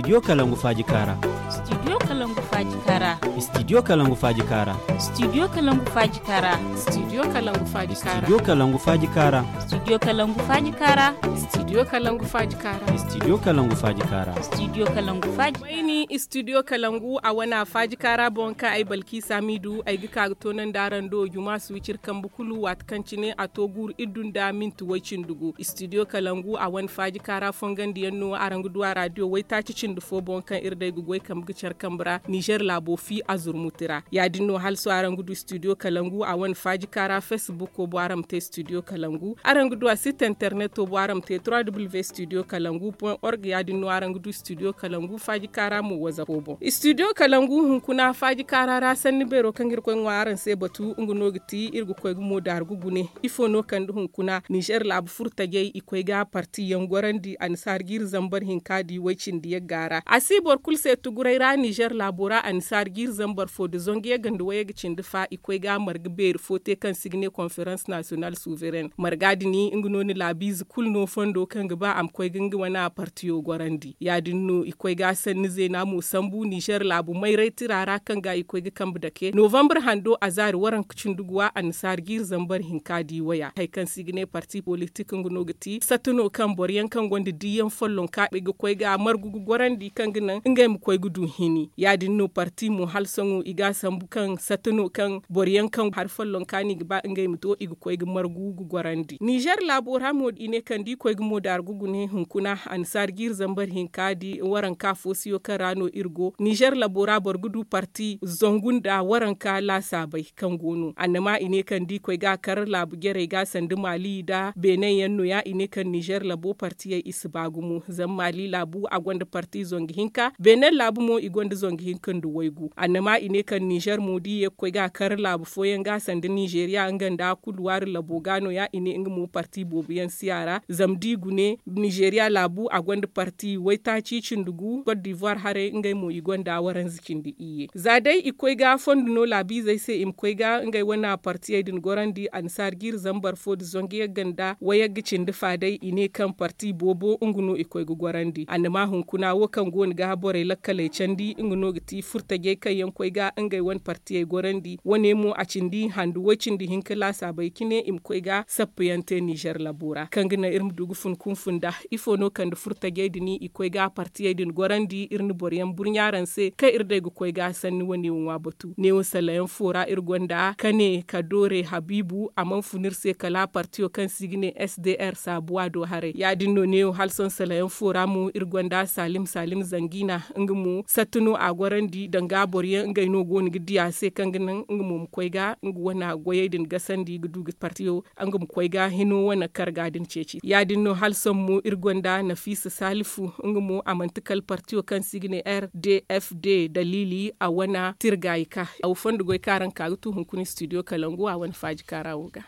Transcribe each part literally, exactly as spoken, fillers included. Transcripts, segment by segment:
Studio Kalangu Faaji Kaara. Studio Kalangu Faaji Kaara. Studio Kalangu Faaji Kaara. Studio Kalangu Faaji Kaara. Studio Kalangu Faaji Kaara. Studio Kalangu Faaji Kaara. Studio Kalangu Faaji Kaara. Studio Kalangu Faaji Kaara. Studio Kalangu Faaji Kaara. Studio Kalangu Faaji Kaara. Mayni Studio Kalangu a wana Faaji Kaara boŋ kaŋ ay Balki Samidu ay ga ka ga toonandi araŋ do juma suwicir kambe kulu waati kaŋ cine a to guuru iddu nda minti way cindi gu. Studio Kalangu a wane Faaji Kaara fongandiyaŋ no araŋ ga du a raadiyo waytaaci cindi fo boŋ kaŋ iri day ga goy kambe ga care kambe ra Nizer laabo fi a zurmuti ra. Ya- din no hala sohõ araŋ ga du Studio Kalangu a wane Faaji Kaara Facebook boŋ araŋ ma te Studio Kalangu. Araŋ ga du a site interneto boŋ araŋ ma te trois w Studio Kalangu point org. Ya- din no araŋ ga du Studio Kalangu Faaji Kaara mo wazapo boŋ. Studio Kalangu hunkuna Faaji Kaara ra sanni beero kaŋ iri koy ŋwa araŋ se batu nga no ga ti iri ga koy ga mo daargu gune. Ifo no kande hunkuna Nizer laabu furtajey i koy ga parti yaŋ gorandi annasaara ga iri zambar hinka di way cindi yagga ra a si boro kulu se tuguray ra Nizer laabo ra annasaara ga iri zambar fo nda zangu yagga nda wayagga cindi fa i koy ga marga beeri fo te kaŋ se i ga ne konferans nasiyonal suvereŋ. Marga din nga no ni laabiize kulu no fondo kaŋ ga ba a ma koy ga nga wane partiyo gorandi ya- din no i koy ga sanni zeena mo sambu nizer laabu mayray tira ra kaŋ ga i koy ga kambe dake novambre hando a zaari waranka cindi guwa annasaara ga iri zambar hinka di waya hari kaŋ se i ga ne parti politik nga no ga ti satta no kaŋ boro yaŋ kaŋ gonda diiyaŋ follonka i ga koy ga margu ga gorandi kaŋ ga naŋ ngey ma koy ga du hini ya- din no parti mo hala sohõ i ga a sambu kaŋ satta no kaŋ boro yaŋ kaŋ hari follonka no i ga ba ngey ma to i ga koy ga margu ga gorandi nizer laabo ra mo i ne kaŋ da i koy ga mo daargu gune hunkuna annasaara ga iri zambar hinka di waranka foosiyo kaŋ ra no iri go nizer laabo ra boro ga du parti zangu nda waranka laasaabey kaŋ go no annama i ne kaŋ da i koy ga a kar laabu jarey ga sanda maali nda beene yaŋ no- ya i ne kaŋ nizer laabo partiyey i si ba gumo zama maali laabu a gonda parti zangu hinka beene laabu mo i gonda zangu hinka nda waygu annama i ne kaŋ nizer mo da i ye ga koy ga a kar laabu fooyaŋ ga sanda nizeriya nga nda kuluwaari labo ga no- ya i ne nga mo parti boobo yaŋ si a ra zama da i gune nizeriya laabu a gonda parti waytaaci cindi gu kot divuwar haray ngey mo i gonda waranza cindi iyye za day i koy ga fondo no laabiizey se i ma koy ga ngey wane partiyey din gorandi annasaara ga iri zambar fo nda zangu yagga nda wayagga cindi fa day i ne kaŋ parti boobo nga no i koy ga gorandi annama hunkuna wo kaŋ go no ga borey lakkaley candi nga no ga ti furtajey kaŋ yaŋ koy ga ngey wane partiyey gorandi wane mo a cindi handu way cindi hinka laasaabey cine i ma koy ga sappa yaŋ te nizer labo ra kaŋ ga naŋ iri ma du ga fun kunfun nda ifo no kande furtajey din i koy ga partiyey din gorandi iri na boro yaŋ burɲa araŋ se kaŋ iri day ga koy ga sanni wane wo ŋwa batu neewo salayaŋ fo ra iri gonda kane ka doore habiibu a mana fun iri se kala partiyo kaŋ se i ga ne s d r saabuwa do haray ya- din no neewo hala sohõ salayaŋ fo ra mo iri gonda saalim saalim zangiina nga mo satta no a gorandi danga boro yaŋ ngey no go no ga di a se kaŋ ga naŋ nga mo ma koy ga nga wane goyey din gasandi ga du ga partiyo nga ma koy ga hino wane karga din ceeci ya- din no hala sohõ mo iri gonda nafiisa saalifu nga mo a manti kala partiyo kaŋ se i ga ne r d f d daliili a wane tirgaayi ka aw fondo goy kaŋ araŋ ka ga tu hunkuna studio kalangu a wane faaji kaara wo ga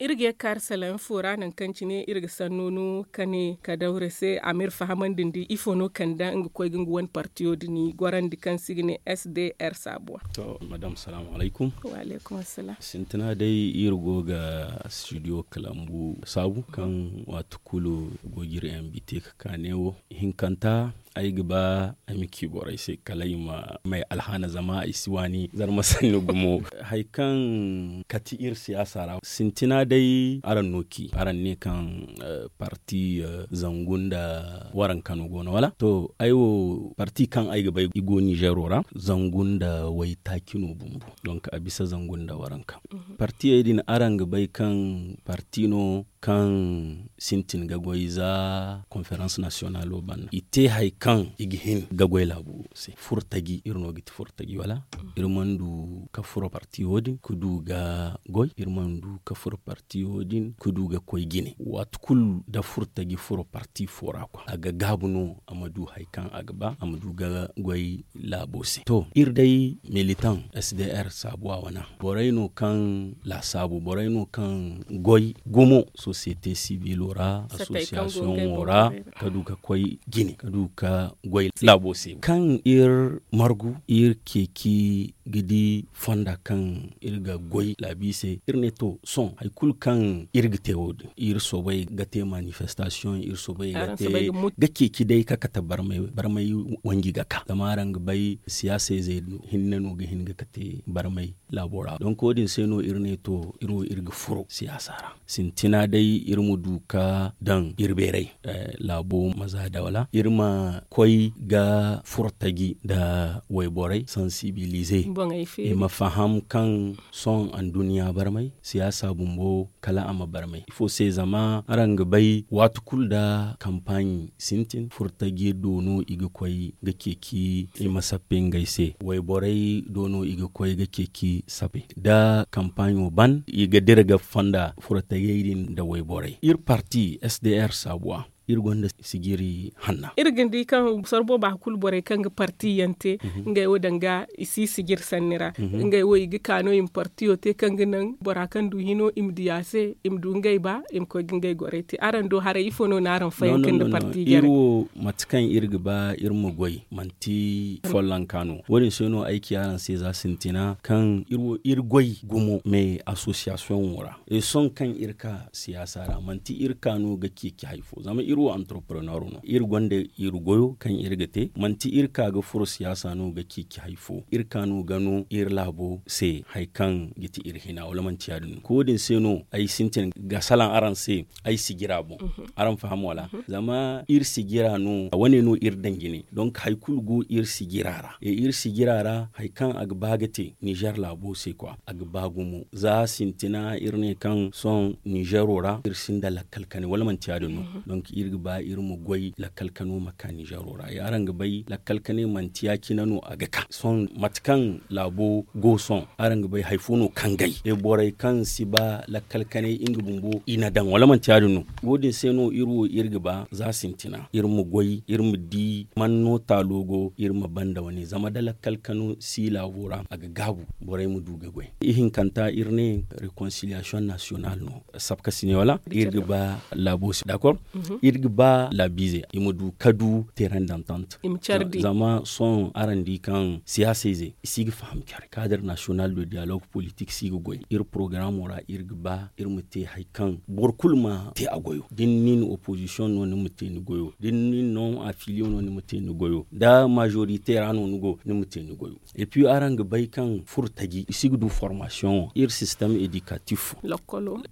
iri ga ye ga kaari salaŋ fo ra nangu kaŋ cine iri ga sanno no ka ne ka dawre se a ma iri fahamandi nda ifo no kande nga koy ga nga wane partiyo din gorandi kaŋ se i ga ne s d r saabuwa. To madam salaamu alaykum. Wa alaykum assalaam. Sintina day iri go ga studio kalangu saabu kaŋ waati kulu go ga iri invite ga ka neewo hinkanta ay ga ba ay ma ci borey se kala i ma may alhaana zama ay si waani zarma sanni gumo. Hari kaŋ kati iri siyaasa ra sintina day araŋ no ci araŋ ne kaŋ parti zangu nda waranka no go no wala to ay wo parti kaŋ ay ga bay i go nizero ra zangu nda waytaaci no bumbo. Donk a bisa zangu nda waranka partiyey din araŋ ga bay kaŋ parti no kaŋ sintin ga goy za konferans nasiyonalo banda i te hari kaŋ i ga hin ga goy laabo se furo taji iri no ga ti furo taji wala iri mana du ka furo parti wo- din ga goy iri mana du ka furo parti wo- din ga koy jine waati kulu da furo taji furo parti fo ra kwa a ga gaabu no. ma du hari kaŋ a ga ba a ma du ga goy laabo se. To, iri day militan s d r saabuwa wana borey no kaŋ laasaabu borey no kaŋ goy gumo sosiyete sibilo ra, association wo ra, ka du ka koy jine ka du ka goy laabo se kaŋ iri margu iri ceeci ga di fonda kaŋ iri ga goy laabi se. Iri ne to, sohõ hari kulu kaŋ iri ga te wo- din, iri soobay ga te manifestasiyoŋ, iri soobay ga te ga ceeci day ka kate barmay wanji ga ka zama araŋ ga bay siyaasa ize hinne no ga hin ga kate barmay laabo ra. Donk wo- din se no iri ne to, iri wo iri ga furo siyaasa ra. Sintina day iri ma du ka daŋ iri beeray laabo ma za da wala iri ma koy ga furo taji nda wayborey sansibilize i ma faham kaŋ sohõ anduɲɲa barmay siyaasa bumbo kala a ma barmay ifo se zama araŋ ga bay waati kulu nda kampaaɲi sintin furo taji do no i ga koy ga ceeci i ma sappe ngey se wayborey do no i ga koy ga ceeci sappe nda kampaaɲo ban i ga dira ga fonda furo tajey din nda wayborey iri parti s d r saabuwa iri gonda sijiri hanna. Iri ga ni di kaŋ sorbo ba kulu borey kaŋ ga parti yaŋ te ngey wo danga i si sijiri sanni ra. Ngey wo i ga ka no i ma partiyo te kaŋ ga naŋ bora kaŋ du hino i ma di a se i ma du ngey ba i ma koy ga ngey gorey te araŋ do haray ifo no na araŋ fayanka nda parti jare? Mate kaŋ iri ga ba iri ma goy manti follonka no wo- din se no ay ci araŋ se za sintina kaŋ iri goy gumo me association wo ra. Sohõ kaŋ iri ka siyaasa ra manti iri ka no ga ceeci hari fo zama iri wo entrepreneur no iri gonda iri goyo kaŋ iri ga te manti iri ka ga furo siyaasa no ga ceeci hari fo iri ka no ga no iri laabo se hari kaŋ ga ti iri hina wala manti ya- din no ko wo- din se no ay sintin ga salaŋ araŋ se ay sijira boŋ. Araŋ faham wala zama iri sijira no wane no iri daŋ jine donk hari kulu go iri sijira ra iri sijira ra hari kaŋ a ga ba ga te nizer laabo se kwa a ga ba gumo za sintina iri ne kaŋ sohõ nizero ra iri sinda lakkal kane wala manti ya- din no. Donk iri ga ba iri ma goy lakkal kano ma ka nizero ra araŋ ga bay lakkal kane manti ya- cine no a ga ka sohõ mate kaŋ laabo go sohõ araŋ ga bay hari fo no kangay borey kaŋ si ba lakkal kanay nga bumbo i na daŋ wala manti ya- din no. Wo- din se no iri wo iri ga ba za sintina iri ma goy iri ma di man no taalo go iri ma banda wane zama da lakkal kano si laabo ra a ga gaabu borey ma du ga goy ihinkanta iri ne reconciliation national no sabka sine wala iri ga ba laabo se d'accord iri ga ba laabiize i ma du ka du terrain d'entente. Zama sohõ araŋ di kaŋ siyaasa ize i si ga faham care cadre national de dialogue politique si ga goy iri programo ra iri ga ba iri ma te hari kaŋ boro kulu ma te a goyo da ni nin opposition no ni ma te ni goyo da ni nin non affilier no ni ma te ni goyo da majorité ra no ni go ni ma te ni goyo. Et puis araŋ ga bay kaŋ furo taji i si ga du formation iri système éducatif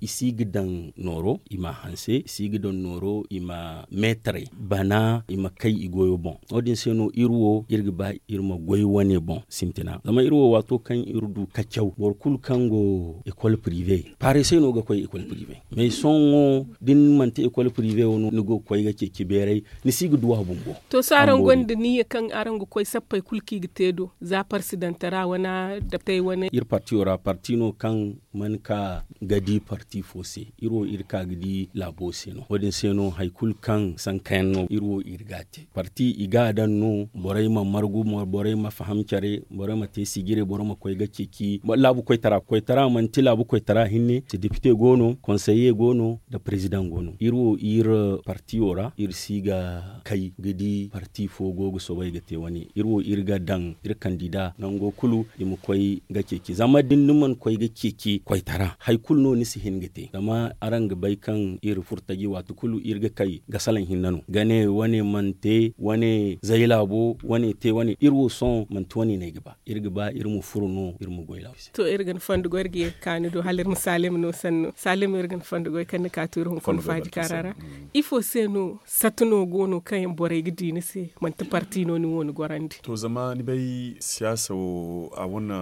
i si ga daŋ nooro i ma hanse i si ga daŋ nooro i ma meetaray bana i ma kay i goyo boŋ. Wo- din se no iri wo iri ga ba iri ma goy wane boŋ sintina zama iri wo waato kaŋ iri du kacaw boro kulu kaŋ go école privé paare se no ga koy école privé mais sohõ da ni manti école privé wo no ni go ga koy ga ceeci beeray ni si ga du a bumbo. To sohõ araŋ gonda niyya kaŋ araŋ ga koy sappey kulu kaŋ i ga te do za parsidantara wane dabtey wane iri partiyo ra parti no kaŋ man ka ga di parti fo se iri wo iri ka ga di laabo se no wo- din se no hari kulu kaŋ sankayaŋ no iri wo iri ga a te parti i ga a daŋ no borey ma margu borey ma faham care borey ma te sijire boro ma koy ga ceeci laabu koytara koytara manti laabu koytara hinne se depite go no konseye go no nda president go no iri wo iri partiyo ra iri si ga kay ga di parti fo go ga soobay ga te wane iri wo iri ga daŋ iri kandida nango kulu i ma koy ga ceeci zama da ni mana koy ga ceeci koytara hari kulu no ni si hin ga te zama araŋ ga bay kaŋ iri furo taji waati kulu iri ga kay ga salaŋ hinne no ga ne wane mana te wane zay laabo wane te wane iri wo sohõ manti wane no ay ga ba iri ga ba iri ma furo no iri ma goy laabo se. To iri ga ni fondo goy iri ga ye ga ka ni do hala iri ma saalem no sanno saalem iri ga ni fondo goy kaŋ ni ka to iri hunkuna faaji kaara ra. Ifo se no sata no go no kaŋ yaŋ borey ga di ni se manti parti no ni wo ni gorandi? To zama ni bay siyaasa wo a wane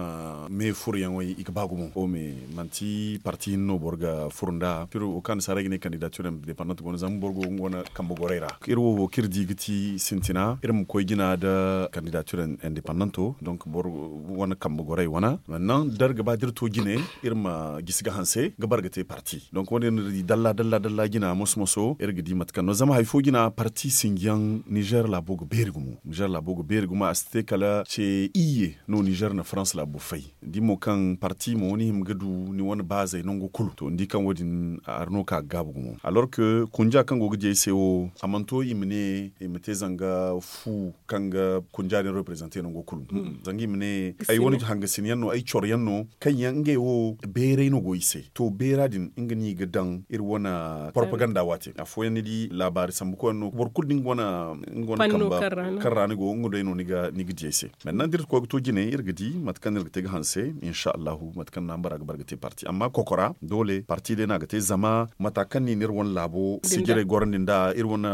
me furoyaŋey i ga ba gumo o me manti parti hinne no boro ga furo nd'a pire wo kaŋ ni saara ay ga ne kandidature independant go no zama boro go wane kambe gorey ra. Iri wo wo kaŋ iri di ga ti sintina iri ma koy jina nda kandidature independento donc boro wane kambe gorey wane. Nannan da iri ga ba da iri to jine iri ma gisi ga hanse ga bara ga te parti donc wo- din no iri di dalla dalla dalla jina moso moso iri ga di mate kaŋ no zama hari fo jina parti sinjiyaŋ nizer laabo ga beeri gumo. Nizer laabo ga beeri gumo a si te kala ce iyye no nizer na farans laabo fay. Da i mo kaŋ parti mo ni hima ga du ni wane baazey nango kulu to ni di kaŋ wo- din hari no ka ga gaabu gumo alors que kunja kaŋ go ga di ay se wo a mana to i ma ne i ma te zanga fu kaŋ ga kunja din reprezante nango kulu. Zanga i ma ne ay wane hangasin yaŋ no ay coro yaŋ no kaŋ yaŋ ngey wo beeray no go i se to beera din nga no i ga daŋ iri wane propaganda waate afooyaŋ ni di laabaari sambu koy yaŋ no boro kulu da nga wane kamba kaŋ ra ni go nga day no ni ga di ay se. Manti naŋ da iri ga koy ga to jine iri ga di mate kaŋ no iri ga te ga hanse insa allahu mate kaŋ no a ma bara ga bara ga te parti amma kokora doole parti day no a ga te zama mata kaŋ no i na iri wane laabo sijirey gorandi nda iri wane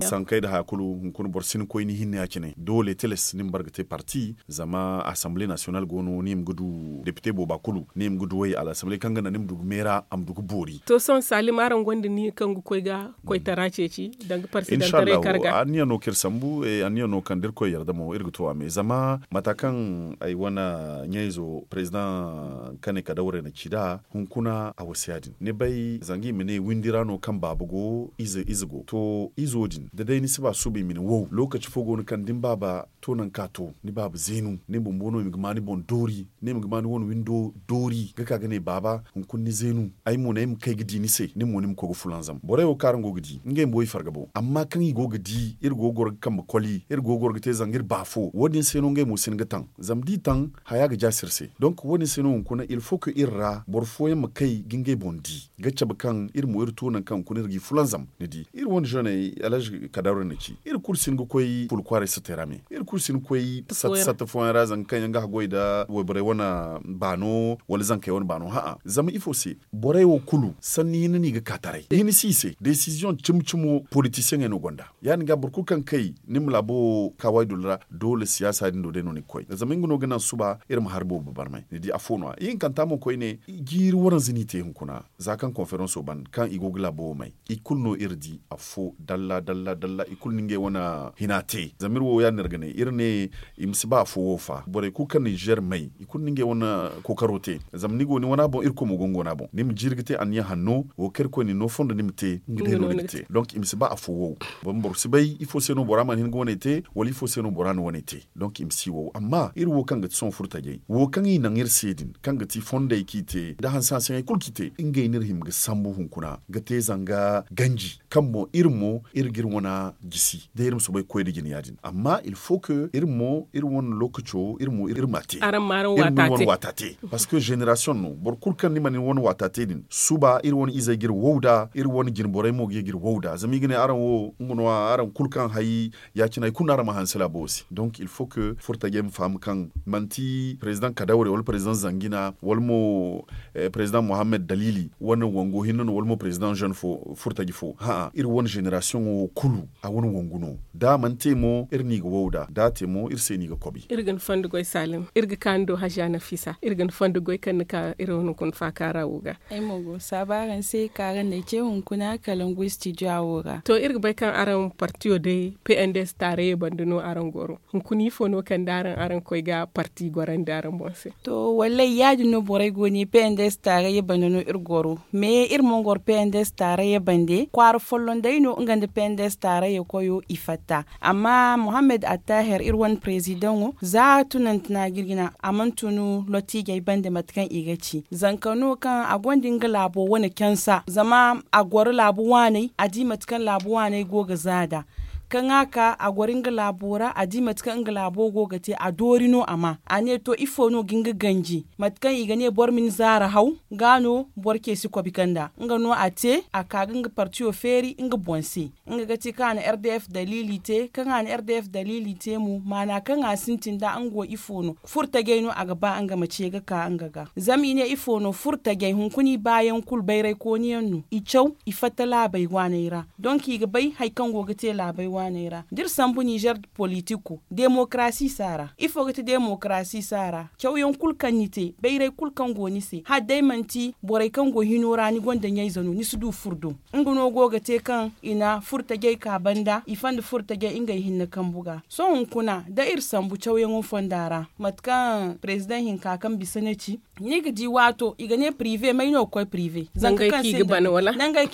sankey nda haya kulu hunkuna boro si ni koy ni hinne ya- cine doole tilas ni ma bara ga te parti zama assemblee national go no ni ma ga du depite booba kulu ni ma ga du way a la assemblee kaŋ ga naŋ ni ma du ga meera a ma du ga boori. To sohõ saalim araŋ gonda ni kaŋ ga koy ga koytara ceeci danga parsidantaray karga. Anniya no kaŋ iri sambu anniya no kaŋ da irkoy yarda mo iri ga to a me zama mata kaŋ ay wane ɲayzo president kane kadawre na ci nd'a hunkuna a wasa ya- din ni bay zanga i ma ne windi ra no kaŋ baaba go ize go to izo din da day ni si ba suba i ma ne wow lokaci fo go no kaŋ da ni baaba to nangu kaŋ a to ni baaba zeenu ni bumbo no i ma ga ma ni boŋ doori ni ma ga ma ni wane windo doori ga ka ga ne baaba hunkuna ni zeenu ay mo no ay ma kay ga di ni se ni mo ni ma koy ga fulanzam borey wo kaŋ araŋ go ga di ngey bumbo i farga boŋ amma kaŋ i go ga di iri go ga goro ga kambe koli iri go ga goro ga te zanga iri ba afo wo- din se no ngey mo si hin ga taŋ zama da i taŋ haya ga jaasi iri se donk wo- din se no hunkuna il faut que iri ra boro fooyaŋ ma kay ga ngey boŋ di ga cabe kaŋ iri mo iri to nangu kaŋ hunkuna iri g'i fulanzam ni di iri wane zoney alhazi kadawra na ci iri kulu si hin ga koy fulu kwaaray sattey ra me iri kulu si hin ga koy satta satta fooyaŋ ra zanga kaŋ yaŋ ga haggoy nda wayborey wane baano wala zankey wane baano ha'a zama ifo se borey wo kulu sanni hinne no i ga ka taray hinne si i se desiziyoŋ cimi cimo politisiyeŋey no gonda ya- din ga boro kulu kaŋ kay ni ma laabo wo ka waydul ra doole siyaasa din do day no ni ga koy zama nga no ga naŋ suba iri ma hari boobo barmay ni di afo no- ya ihinkanta mo koyne jiiri waranza no i te hunkuna za kaŋ konferanso ban kaŋ i go ga laabo wo may i kulu no iri di afo dalla dalla dalla i kulu no ngey wane hina te zama iri wo ya- din iri ga ne iri ne i ma si ba afo wo fa borey kulu kaŋ na nizer may i kulu no ngey wane kookaro te zama ni go ni wana boŋ iri koy mo go nga wana boŋ ni ma jiiri ga te anniya hanno wo kaŋ iri koy na ni no fondo ni ma te nga day no ni ga te donk i ma si ba afo wo boro si bay ifo se no bora mana hin ga wane te wala ifo se no bora na wane te donk i ma si wow amma iri wo kaŋ ga ti sohõ furtajey wo kaŋ i naŋ iri se din kaŋ ga ti fondey kaŋ i te nda hanse hanseyaŋey kulu kaŋ i te ngey no iri hima ga sambu hunkuna ga te zanga ganji kaŋ boŋ iri mo iri ga iri wana gisi day iri ma soobay ga koy nda jine ya- din amma il faut que iri mo iri wane lookaco iri mo iri ma te iri ma iri wane waata te parce que génération no boro kulu kaŋ ni mana ni wane waata te din suba iri wane izey ga iri wow nd'a iri wane jinborey mo ga ye ga iri wow nd'a zama i ga ne araŋ wo nga no araŋ kulu kaŋ hay ya- cine hari kulu no araŋ ma hanse laabo wo se donc il faut que furtajey ma faham kaŋ manti président kadawre wala président zangina wala mo président mohammed dalili wane wango hinne no wala mo président jeune fo furtaji fo ha'a iri wane génération wo kulu a wane wangu no da a mana te mo iri no i ga wow nd'a da a te mo iri se no i ga kobi iri ga ni fondo goy salim iri ga kaanu do hajiya nafisa iri ga ni fondo goy kaŋ ni ka iri wane kuna faakaara wo ga ay mo go ga saabu araŋ se kaŋ araŋ na ay ce hunkuna kalangu studio wo ra to iri ga bay kaŋ araŋ partiyo day pnds taarayey banda no araŋ goro hunkuna ifo no kaŋ da araŋ araŋ koy ga parti gorandi araŋ boŋ se to wallay ya- din no borey go ne pnds taarayey banda no iri goro mais iri mana goro pnds taarayey bande kwaara folloŋ day no nga nda pnds taarayey koyo i fatta amma mohammed attaher iri wane président wo za tunantina ga iri ga naŋ a mana tun lottijey bande mate kaŋ i ga ci zanka no kaŋ a gonda nga laabo wane cansa zama a goro laabu waaney a di mate kaŋ laabu waaney go ga za nd'a kaŋ a ka a goro nga laabo ra a di mate kaŋ nga laabo go ga te a doori no a ma a ne to ifo no ga nga ganji mate kaŋ i ga ne boro ma ni zaara haw ga no boro ce si kobi kanda nga no a te a ka ga nga partiyo feeri nga boŋ se nga ga ti kaŋ a na rdf dalili te kaŋ a na rdf dalili te mo maana kaŋ a sintin da nga wo ifo no furtajey no a ga ba nga ma ce ga ka nga ga zama i ne ifo no furtajey hunkuna i baayaŋ kulu bayray kooniyaŋ no i caw i fatta laabey waaney ra donk i ga bay hari kaŋ go ga te laabey waaney ra da iri sambu nizer. Politiko demokarasi si a ra. Ifo ga ti demokarasi si a ra? Cawyaŋ kulu kaŋ ni te, bayray kulu kaŋ go ni se, hala day manti borey kaŋ go hino ra ni gonda ɲayze no ni si du furo do. Nga no go ga te kaŋ i na furo tajey ka banda i fonda furo tajey ngey hinne kambu ga. Sohõ hunkuna da iri sambu cawyaŋo fonda ra, mate kaŋ prezidaŋ hinka kaŋ bisa ne ci, ni ga di waato i ga ne pirive may no ga koy pirive? Nangey kaŋ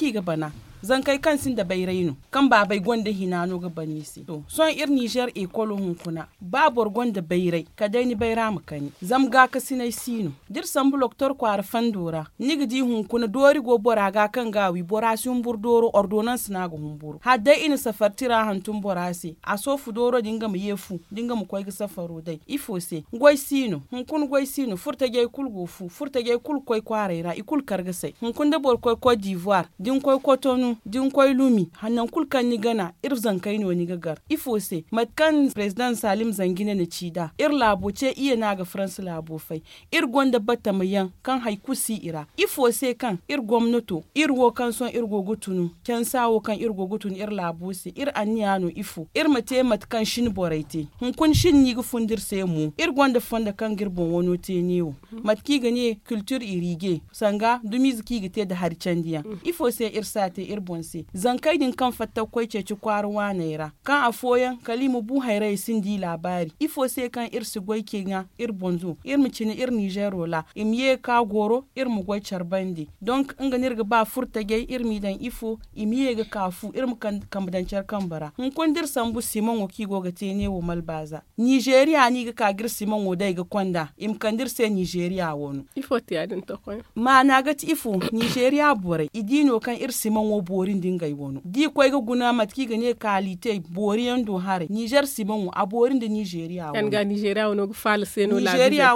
i ga bana. Zankey kaŋ sinda bayray no, kaŋ baabey gonda hina no ga bana i se. Sohõ iri nizer ekolo hunkuna, ba boro gonda bayray kala day ni bayra ma kani zama gaakasinay si no. Da iri sambu loktor kwaara fondo ra, ni ga di hunkuna doori go bora ga kaŋ ga a wi bora si humburu dooro ordonanse no a ga humburu hala day i na safari tira hantum bora se a soofu dooro din nga ma ye fu da nga ma koy ga safaro day ifo se? Goy si no hunkuna goy si no furo tajey kulu go fu furo tajey kulu ga koy kwaaray ra i kulu kar ga say hunkuna da boro koy kot divuwar da ni koy kotonu da ni koy lumi, nangu kulu kaŋ ni gana iri zankey no ni ga gar. Ifo se mate kaŋ prezidaŋ salim zanjine na ci nd'a iri laabo ce iyye no a ga faransa laabo fay. Iri gonda batama yaŋ kaŋ hari kulu si i ra ifo se kaŋ iri gomnato iri wo kaŋ sohõ iri go ga tunu cansa wo kaŋ iri go ga tunu iri laabo se iri anniya no ifo iri ma te mate kaŋ shin borey te? Hunkuna shin no i ga fun da iri se mo iri gonda fondo kaŋ ga iri boŋ wano te neewo, mate kaŋ i ga ne kiltir irige sanga dumiize kaŋ i ga te nda hari candi yaŋ. Ifo se iri si a te iri boŋ se? Zankey din kaŋ fatta ga koy ceeci kwaara waaney ra kaŋ afooyaŋ kala i ma bu hayrayey sinda i laabaari ifo se kaŋ iri si goy cina iri boŋ do iri ma cina iri ninzeero ra i ma ye ga ka goro iri ma goy care bande. Donk nga no iri ga ba furo tajey iri m'i daŋ ifo i ma ye ga ka fu iri ma kambe daŋ care kambe ra hunkuna da iri sambu simaŋo kaŋ i go ga te neewo malbaaza. Ninzeeriya no i ga ka ga iri simaŋo day ga konda i ma kande iri se ninzeeriya wano. Ifo ti ya- din tokoy? Maana ga ti ifo? Ninzeeriya borey i di no kaŋ iri simaŋo boori nda ngey wano da i koy ga guna mate kaŋ i ga ne kaalite boori yaŋ do haray ninzeer simaŋo a boori nda ninzeeriya wano. Ninzeeriya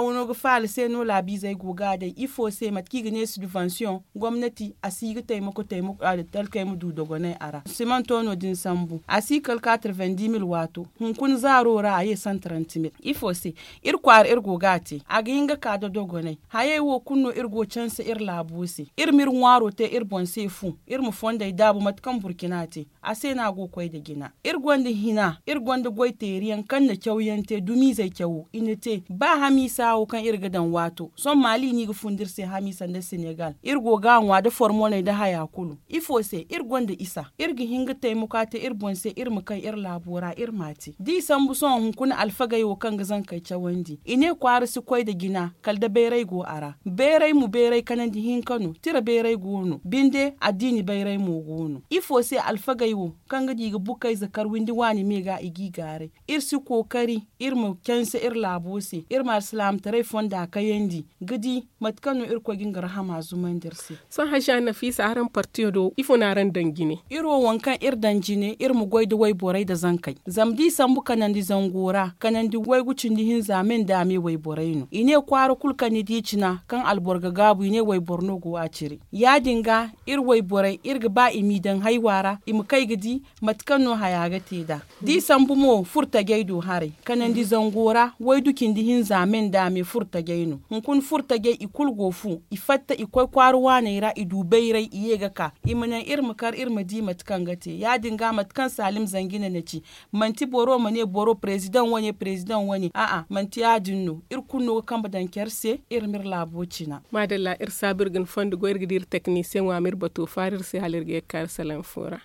wano ga faala se no laabiizey go ga a day ifo se mate kaŋ i ga ne sidubansiyoŋ gomnati a si ga taymako taymako talkey ma du dogonay a ra simanto no- din sambu a si kala kaatira vendimil waato. Hunkuna zaaro ra a ye santarantimil ifo se? Iri kwaara iri go ga a te a ga hin ga ka da dogonay. Hayey wo kulu no iri go canse iri laabo se iri ma iri ŋwaaro te iri boŋ se fu iri ma fondey daabu mate kaŋ burkina te a se no a go ga koy nda jina. Iri gonda hina iri gonda goy teeriyaŋ kaŋ na cawyaŋ te dumiizey cawo i na te ba hamiisa wo kaŋ iri ga daŋ waato sohõ maali no i ga fun da iri se hamiisa nda senegal iri go ga a ŋwa nda formoney nda haya kulu. Ifo se iri gonda isa iri ga hin ga taymako a te iri boŋ se iri ma kay iri laabo ra iri m'a te da i sambu sohõ hunkuna alfagey wo kaŋ ga zankey cawandi i ne kwaara si koy nda jina kala da bayray go a ra. Bayray mo bayray kanandi hinka no tira bayray go no binde addiini bayray mo go no ifo se alfagey wo kaŋ ga di ga bukayze kar windi waani me ga i g'i gaaray. Iri si kookari iri ma canse iri laabo se iri ma alsilaamataray fonda kayandi ga di mate kaŋ no irkoy ga nga rahama zumandi iri se. Sohõ hajja nafiisa araŋ partiyo do ifo no araŋ daŋ jine? Iri wo waŋ kaŋ iri daŋ jine iri ma goy nda wayborey nda zankey zama da i sambu kanandi zango ra kanandi waygu cindi hinza me nda a me wayborey no i ne kwaara kulu kaŋ ni di cina kaŋ alboro ga gaabu i ne wayboro no go a ciri. Ya- din ga iri wayborey iri ga ba i m'i daŋ haywa ra i ma kay ga di mate kaŋ no haya ga te nd'a. Da i sambu mo furo tajey do haray kanandi zango ra waydu cindi hinza me nda a me furo tajey no hunkuna furo tajey i kulu go fu i fatta i koy kwaara waaney ra i du bayray i ye ga ka i ma naŋ iri ma kar iri ma di mate kaŋ ga te ya- din ga mate kaŋ salim zanjine na ci. Manti boro ma ne boro prezidaŋ wane prezidaŋ wane a'a manti ya- din no iri kulu no ga kambe daŋ care se iri ma iri laabo cina. Maadalla iri saabu iri ga ni fondo goy iri ga di iri teknisiyeŋo a ma iri bato faari iri se hala iri ga ye ga ka iri salaŋ fo ra.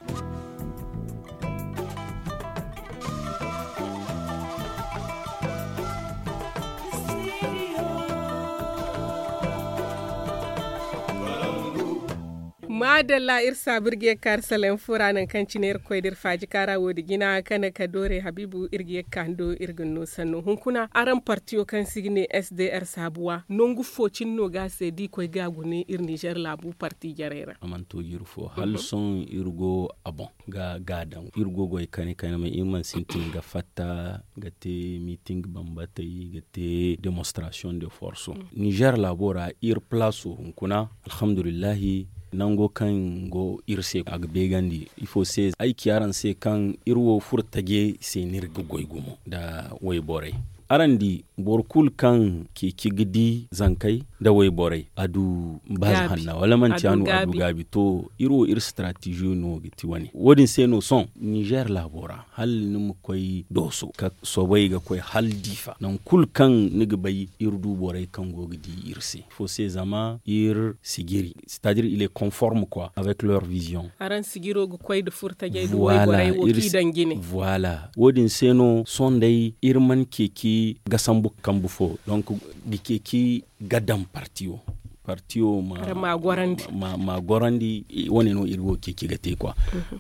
Maadalla iri saabu iri ga ye ga ka iri salaŋ fo ra nangu kaŋ cine iri koy da iri faaji kaara wo- din jina kane ka doore habiibu iri ga ye ga ka ni do iri ga ni no sanno hunkuna araŋ partiyo kaŋ se i ga ne sdr saabuwa nangu fo cine no ga a se da i koy ga a gune iri nizer laabu parti jarey ra? A mana to jiiri fo hala sohõ iri go a boŋ ga a daŋ iri go goy kayna kayna ma iri mana sintin ga fatta ga te miiting bambatey ga te demonstrasiyoŋ de forso. Nizer laabo ra iri palaaso hunkuna alhamdulillahi nango kaŋ go iri se a ga beegandi. Ifo se ay ci araŋ se kaŋ iri wo furo taje se no iri ga goy gumo nda wayborey. Araŋ di boro kulu kaŋ ceeci ga di zankey da wayborey a du baaz hanna wala manti a no a du gaabi to. Iri wo iri strategiyo no ga ti wane wo- din se no sohõ nizer laabo ra hala ni ma koy dooso ka soobay ga koy hala diifa nangu kulu kaŋ ni ga bay iri du borey kaŋ go ga di iri se ifo se zama iri si jiri c'est à dire il est conforme quoi avec leur vision. Araŋ si jiro ga koy nda furtajey nda wayborey wo kaŋ i daŋ jine. Voilà wo- din se no sohõ day iri mana ceeci ga sambu kambu fo donc ga ceeci ga daŋ partiyo partiyo ma gorandi wane no iri wo ceeci ga te quoi.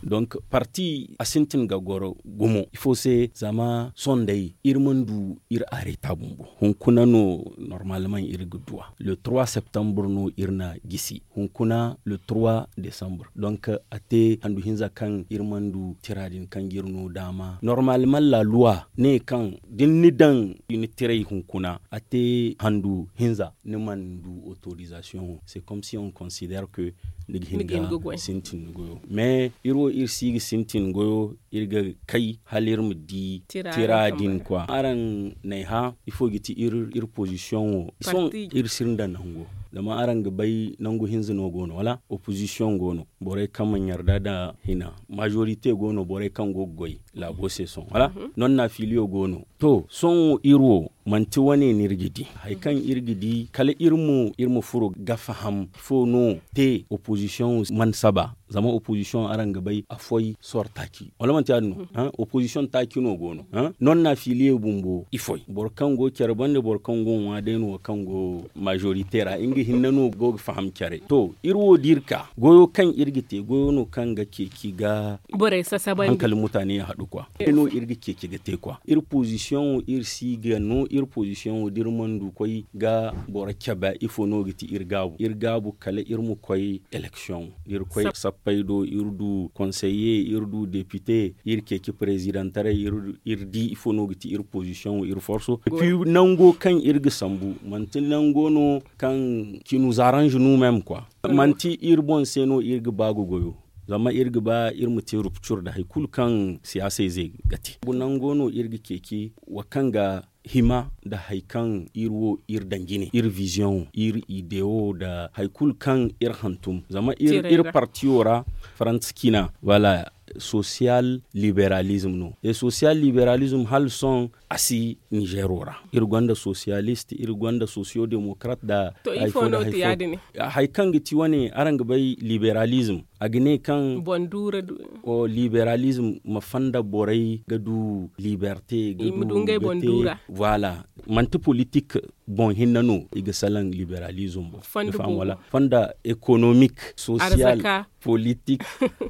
Donc parti a sintin ga goro gumo ifo se zama sohõ day iri mana du iri areta bumbo hunkuna no normalement iri ga duwa le trois septembre no iri na gisi hunkuna le trois décembre donc a te handu hinza kaŋ iri mana du tira din kaŋ ga iri no daama normalement la loi ne kaŋ da ni daŋ ni tiray hunkuna a te handu hinza ni mana du autorisation c'est comme si on considère que ni ga hin ga sintin goyo mais iri wo iri si ga sintin goyo iri ga kay hala iri ma di tira din quoi araŋ n'ay hã ifo ga ti iri position wo sohõ iri si ni daŋ nango zama araŋ ga bay nangu hinza no go no wala opposition go no borey kaŋ mana yarda nda hina majorité go no borey kaŋ go ga goy laabo se sohõ wala non na filiyo go no to sohõ iri wo manti wane no iri ga di hari kaŋ iri ga di kala iri ma furo ga faham ifo no te opposition mana saba zama opposition araŋ ga bay a foy sor taaci wala manti ya- din no opposition taaci no go no non na filiye bumbo i foy boro kaŋ go care bande boro kaŋ go ŋwa day no kaŋ go majorité ra nga hinne no go ga faham care to iri wo da iri ka goyo kaŋ iri ga te goyo no kaŋ ga ceeci ga hankali mutane ya haɗu kwa no iri ga ceeci ga te kwa iri position wo iri si ga no iri position wo da iri mana du koy ga boro cabe ifo no ga ti iri gaabu iri gaabu kala iri ma koy élection iri koy sappey do iri du conseiller iri du député iri ceeci présidentaray iri di ifo no ga ti iri position wo iri forso puis nango kaŋ iri ga sambu manti nango no kaŋ qui nous arrange nous même quoi manti iri boŋ se no iri ga ba ga goyo zama iri ga ba iri ma te rupture nda hari kulu kaŋ siyaasayze ga te nango no iri ga ceeci wo kaŋ ga hima nda hari kaŋ iri wo iri daŋ jine iri vision iri idée wo nda hari kulu kaŋ iri hantum zama iri partiyo ra faransa ciina wala social liberalism no et social liberalism hala sohõ a si nizero ra iri gonda socialiste iri gonda socio démocrate nda hari kaŋ ga ti wane araŋ ga bay liberalism a ga ne kaŋ liberalism ma fanda borey ga du liberté ga du voilà manti politik boŋ hinne no i ga salaŋ liberalism boŋ fonda économique social politik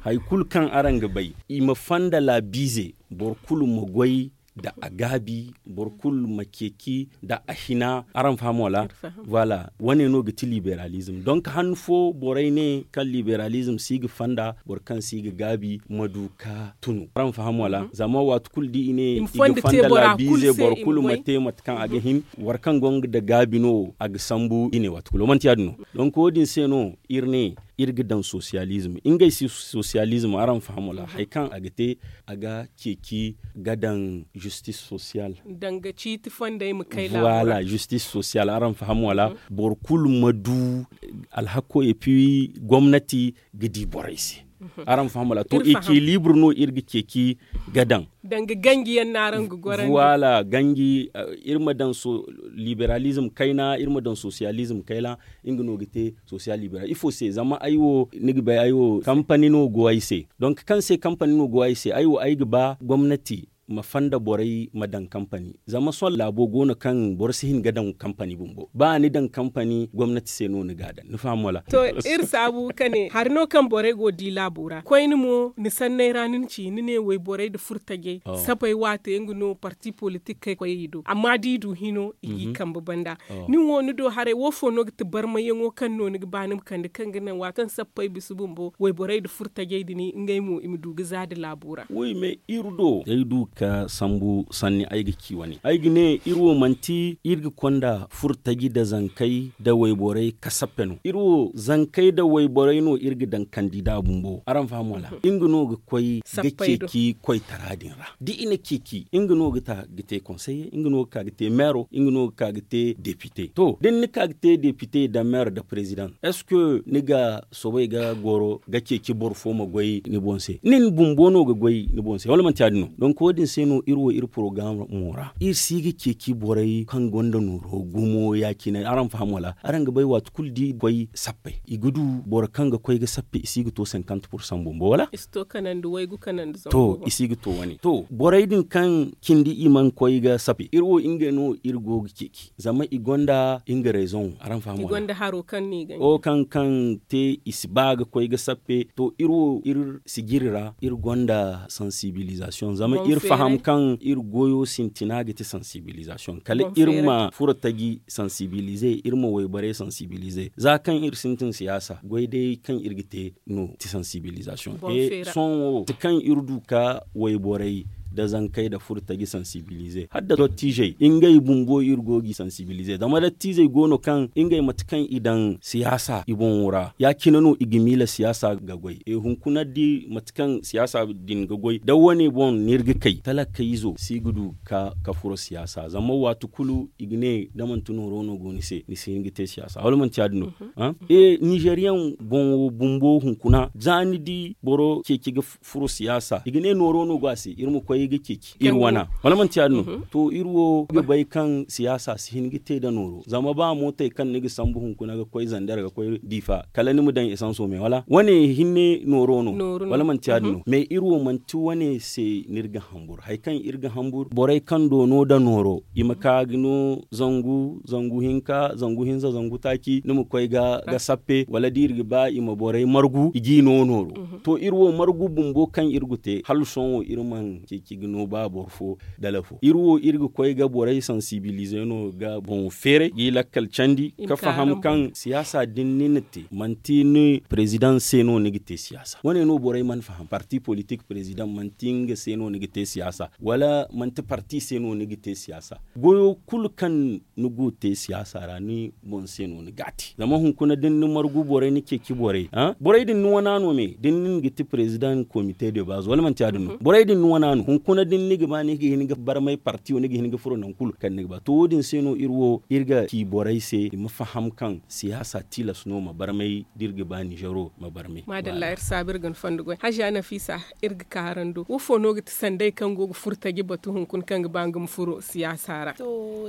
hari kulu kaŋ araŋ ga bay i ma fonda laabiize boro kulu ma goy nda a gaabi boro kulu ma ceeci nda a hina araŋ faham wala voilà wane no ga ti liberalism donc han fo borey ne kaŋ liberalism si ga fonda boro kaŋ si ga gaabi ma du ka tunu araŋ faham wala zama waati kulu da i ne i ga fonda laabiize boro kulu ma te mate kaŋ a ga hin war kaŋ go nga nda gaabi no a ga sambu i ne waati kulu manti ya- din no donc wo- din se no iri ne iri ga daŋ socialism ngey si socialism araŋ faham wala hari kaŋ a ga te a ga ceeci ga daŋ justice sociale danga ciiti fondey ma kay voilà justice sociale araŋ faham wala boro kulu ma du alhako et puis gomnati ga di borey se araŋ faham wala to équilibre no iri ga ceeci ga daŋ danga ganji yaŋ no araŋ ga gorandi voilà ganji iri ma daŋ liberalism kayna iri ma daŋ socialism kayna nga no ga te social liberal ifo se zama ay wo ni ga bay ay wo kampani no go ay se donc kaŋ se kampani no go ay se ay wo ay ga ba gomnati ma fanda borey ma daŋ kampani zama sohõ laabo go no kaŋ boro si hin ga daŋ kampani bumbo ba ni daŋ kampani gomnati se no ni ga a daŋ ni faham wala to iri saabu ka ne hari no kaŋ borey go ga di laabo ra koyne mo ni sanney ra ni na ci ni ne wayborey nda furtajey sapey waate nga no parti politik kay koyey do amma da i du hino i g'i kambe banda nin wo ni do haray wo fo no ga ti barmayaŋo kaŋ no ni ga ba ni ma kande kaŋ ga naŋ waati kaŋ sappey bisa bumbo wayborey nda furtajey din ngey mo i ma du ga za nda laabo ra woy me iri do ay du ka sambu sanni ay ga ci wane ay ga ne iri wo manti iri ga konda furtaji nda zankey nda wayborey ka sappe no iri wo zankey nda wayborey no iri ga daŋ kandida bumbo araŋ faham wala nga no ga koy ga ceeci koytara din ra da i na ceeci nga no ga ka ga te konseye nga no ga ka ga te meero nga no ga ka ga te depite to da ni na ka ga te depite nda meero nda perezidaŋ est-ce que ni ga soobay ga goro ga ceeci boro fo ma goy ni boŋ se nin bumbo no ga goy ni boŋ se wala manti ya- din no donk wo- din se no iri wo iri porogaraamo ra iri si ga ceeci borey kaŋ gonda nooro gumo ya- cine araŋ faham wala araŋ ga bay waati kulu da i ga koy sappey i ga du boro kaŋ ga koy ga sappe i si ga to cinquante pour cent bumbo wala to i si ga to wane to borey din kaŋ cindi i mana koy ga sappe iri wo ngey no iri go ga ceeci zama i gonda nga rezoŋo araŋ faham wala wo kaŋ kaŋ te i si ba ga koy ga sappe to iri wo iri sijiri ra iri gonda sansibilizasiyoŋ zama iri faham kaŋ iri goyo sintina ga ti sansibilizasiyoŋ kala iri ma furo taji sansibilize iri ma wayborey sansibilize za kaŋ iri sintin siyaasa goy day kaŋ iri ga te no ti sansibilizasiyoŋ sohõ wo ti kaŋ iri du ka wayborey nda zankey nda furo taji sansibilize hala nda dottizey ngey bumbo iri go g'i sansibilize zama dottizey go no kaŋ ngey mate kaŋ i daŋ siyaasa i boŋo ra ya- cine no i ga miila siyaasa ga goy hunkuna da mate kaŋ siyaasa din ga goy da wane boŋ no iri ga kay talakayzo si ga du ka furo siyaasa zama waati kulu i ga ne da manti nooro no go ni se ni si hin ga te siyaasa wala manti ya- din no ninzeeriyaŋ boŋo bumbo hunkuna za ni di boro ceeci ga furo siyaasa i ga ne nooro no go a se iri ma koy ga ceeci iri wana wala manti ya- din no to iri wo ga bay kaŋ siyaasa si hin ga te nda nooro zama ba mootey kaŋ ni ga sambu hunkuna ga koy zander ga koy diifa kala ni ma daŋ esanso me wala wane hinne nooro no wala manti ya- din no mais iri wo manti wane se no iri ga hambur hari kaŋ iri ga hambur borey kaŋ doono nda nooro i ma ka ga no zangu zangu hinka zangu hinza zangu taaci ni ma koy ga sappe wala da iri ga ba i ma borey margu i g'i no nooro to iri wo margu bumbo kaŋ iri ga te hala sohõ iri mana ceeci ga no ba boro fo dala fo iri wo iri ga koy ga borey sansibilize no ga boŋo feeray g'i lakkal candi ka faham kaŋ siyaasa din ni na te manti ni perezidaŋ se no ni ga te siyaasa wane no borey mana faham parti politik perezidaŋ manti nga se no ni ga te siyaasa wala manti parti se no ni ga te siyaasa goyo kulu kaŋ ni go te siyaasa ra ni boŋ se no ni ga a te zama hunkuna da ni na margu borey ni ceeci borey borey din ni wana no me da ni ga ti perezidaŋ komite de baazo wala manti ya- din no borey din ni wana no hunkuna da ni ga ba ni ga hin ga barmay parti wo ni ga hin ga furo nangu kulu kaŋ ni ga ba to wo- din se no iri wo iri ga ci borey se i ma faham kaŋ siyaasa tilas no ma barmay da iri ga ba ninzeero ma barmay maadalla iri saabu iri ga ni fondo goy haziya nafiisa iri ga kaarando wo fo no ga ti sanday kaŋ go ga furo taji batu hunkuna kaŋ ga ba nga ma furo siyaasa ra